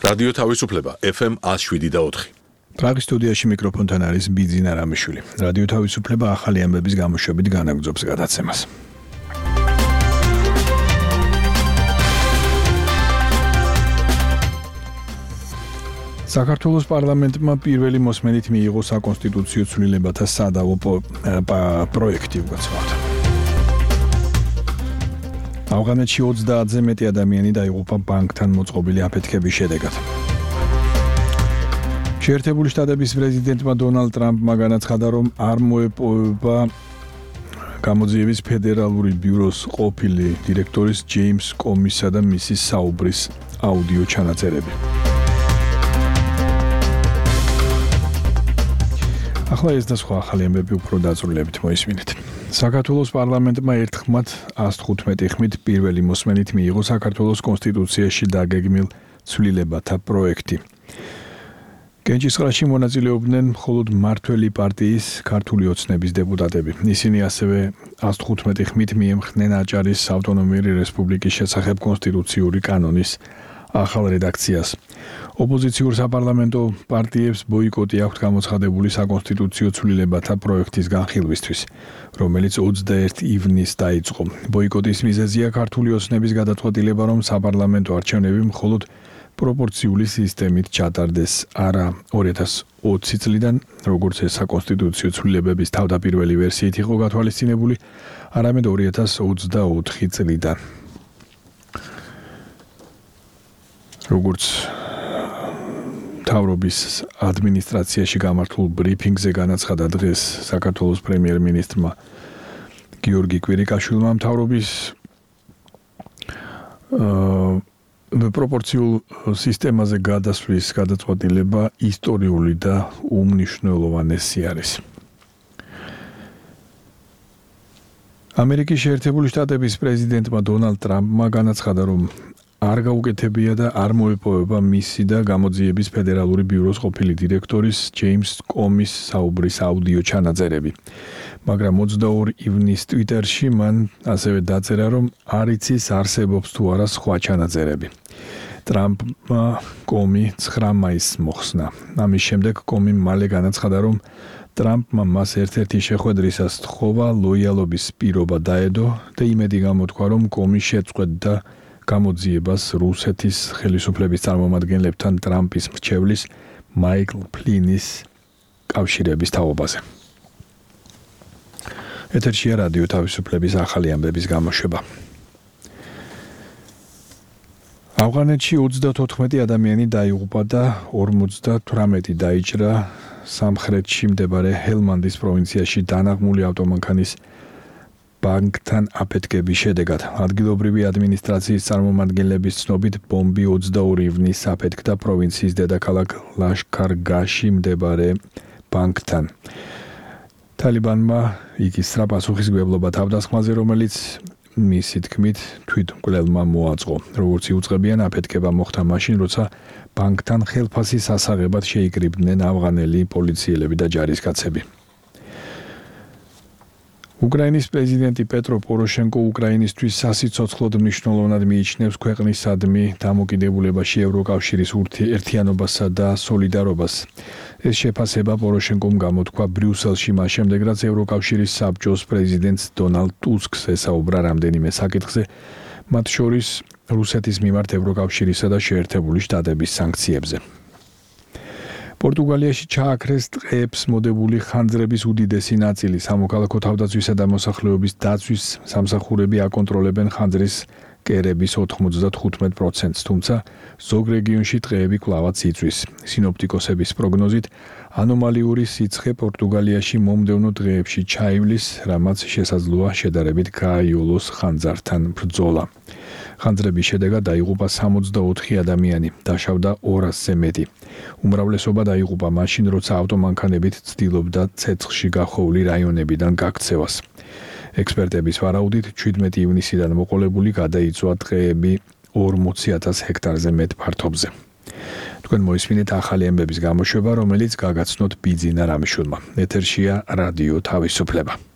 რადიო თავისუფლება FM 107.4. პრაღის სტუდიაში მიკროფონთან არის ბიძინა რამიშვილი. რადიო თავისუფლება ახალი ამბების გამოშვებით განაგრძობს გადაცემას. საქართველოს პარლამენტმა პირველი მოსმენით მიიღო საკონსტიტუციო ცვლილებათა სადავო პროექტი უგაცრავად. ავღანეთში 30-ზე მეტი ადამიანი დაიღუპა ბანკთან მოწყობილი აფეთქების შედეგად. შეერთებული შტატების პრეზიდენტმა დონალდ ტრამპმა განაცხადა, რომ არ მოეპოვება გამოძიების ფედერალური ბიუროს ყოფილი დირექტორის ჯეიმს კომისა და მისის საუბრის აუდიო ჩანაწერები. ახლა ეს და სხვა ახალი ამბები უფრო დაწვრილებით მოისმინეთ. საქართველოს პარლამენტმა ერთხმად 115 ხმით პირველი მოსმენით მიიღო საქართველოს კონსტიტუციაში დაგეგმილ ცვლილებათა პროექტი. კენჭისყრაში მონაწილეობდნენ მხოლოდ მმართველი პარტიის ქართული ოცნების დეპუტატები. ისინი ასევე 115 ხმით მიემხრნენ აჭარის ავტონომიური რესპუბლიკის შესახებ კონსტიტუციური კანონის ახალ რედაქციას. ოპოზიციურ საპარლამენტო პარტიებს ბოიკოტი აქვთ გამოცხადებული საკონსტიტუციო ცვლილებათა პროექტის განხილვისთვის, რომელიც 21 ივნისს დაიწყო. ბოიკოტის მიზეზია ქართული ოცნების გადაწყვეტილება, რომ საპარლამენტო არჩევნები მხოლოდ პროპორციული სისტემით ჩატარდეს, არა 2020 წლიდან, როგორც ეს საკონსტიტუციო ცვლილებების თავდაპირველი ვერსიით იყო გათვალისწინებული, არამედ 2024 წლიდან. როგორც თავრობის ადმინისტრაციაში გამართულ ბრიფინგზე განაცხადა დღეს საქართველოს პრემიერ-მინისტრმა გიორგი კვირიკაშვილმა, მთავრობის პროპორციულ სისტემაზე გადასვლის გადაწყვეტილება ისტორიული და უმნიშვნელოვანესი არის. ამერიკის შეერთებული შტატების პრეზიდენტმა დონალდ ტრამპმა განაცხადა, რომ არ გაუკეთებია და არ მოეპოვება მისი და გამოძიების ფედერალური ბიუროს ყოფილი დირექტორის ჯეიმს კომის საუბრის აუდიო ჩანაწერები. მაგრამ 22 ივნისს ტვიტერში მან ასევე დაწერა, რომ არ იცის არსებობს თუ არა სხვა ჩანაწერები. ტრამპმა კომი 9 მაისს მოხსნა. ამის შემდეგ კომი მალე განაცხადა, რომ ტრამპმა მას ერთ-ერთი შეხვედრისას თხოვა ლოიალობის პირობა დაედო და იმედი გამოთქვა, რომ კომი შეწყვეტდა გამოძიებას რუსეთის ხელისუფლების წარმომადგენლებთან ტრამპის მრჩევლის მაიკლ ფლინის კავშირების თაობაზე. ეთერშია რადიო თავისუფლების ახალი ამბების გამოშვება. ავღანეთში 34 ადამიანი დაიღუპა და 58 დაიჭრა სამხრეთში მდებარე ჰელმანდის პროვინციაში დანაღმული ავტომანქანის ბანკთან აფეთქების შედეგად. ადგილობრივი ადმინისტრაციის წარმომადგენლების ცნობით, ბომბი 22 ივნისს აფეთქდა პროვინციის დედაქალაქ ლაშქარ-გაში მდებარე ბანკთან. თალიბანმა იკისრა პასუხისმგებლობა თავდასხმაზე, რომელიც მისი თქმით თვითმკვლელმა მოაწყო. როგორც იუწყებიან, აფეთქება მოხდა მაშინ, როცა ბანკთან ხელფასის ასაღებად შეიკრიბდნენ ავღანელი პოლიციელები და ჯარისკაცები. უკრაინის პრეზიდენტი პეტრო პოროშენკო უკრაინისთვის სასიცოცხლოდ მნიშვნელოვნად მიიჩნევს ქვეყნისადმი დამოკიდებულებაში ევროკავშირის ერთიანობასა და სოლიდარობას. ეს შეფასება პოროშენკომ გამოთქვა ბრიუსელში მას შემდეგ, რაც ევროკავშირის საბჭოს პრეზიდენტს დონალდ ტუსკს ესაუბრა რამდენიმე საკითხზე, მათ შორის რუსეთის მიმართ ევროკავშირისა და შეერთებული შტატების სანქციებზე. პორტუგალიაში ჩააქრეს ტყეებს მოდებული ხანძრების უდიდესი ნაწილი. სამოქალაქო თავდაცვისა და მოსახლეობის დაცვის სამსახურები აკონტროლებენ ხანძრის კერების 95%-ს, თუმცა ზოგ რეგიონში ტყეები კვლავაც იწვის. სინოპტიკოსების პროგნოზით, ანომალიური სიცხე პორტუგალიაში მომდევნო დღეებში ჩაივლის, რამაც შესაძლოა შედარებით გააიოლოს ხანძართან ბრძოლა. ხანძრების შედეგად დაიღუპა 64 ადამიანი, დაშავდა 200-ზე მეტი. უმრავლესობა დაიღუპა მაშინ, როცა ავტომანქანებით ცდილობდა ცეცხლში გახოვლი რაიონებიდან გაქცევას. ექსპერტების ვარაუდით, 17 ივნისიდან მოყოლებული გადაიწვა ტყეები 40,000 ჰექტარზე მეტ ფართობზე. თქვენ მოისმინეთ ახალი ამბების გამოშვება, რომელიც გაგაცნოთ ბიძინა რამიშვილმა. ეთერშია რადიო თავისუფლება.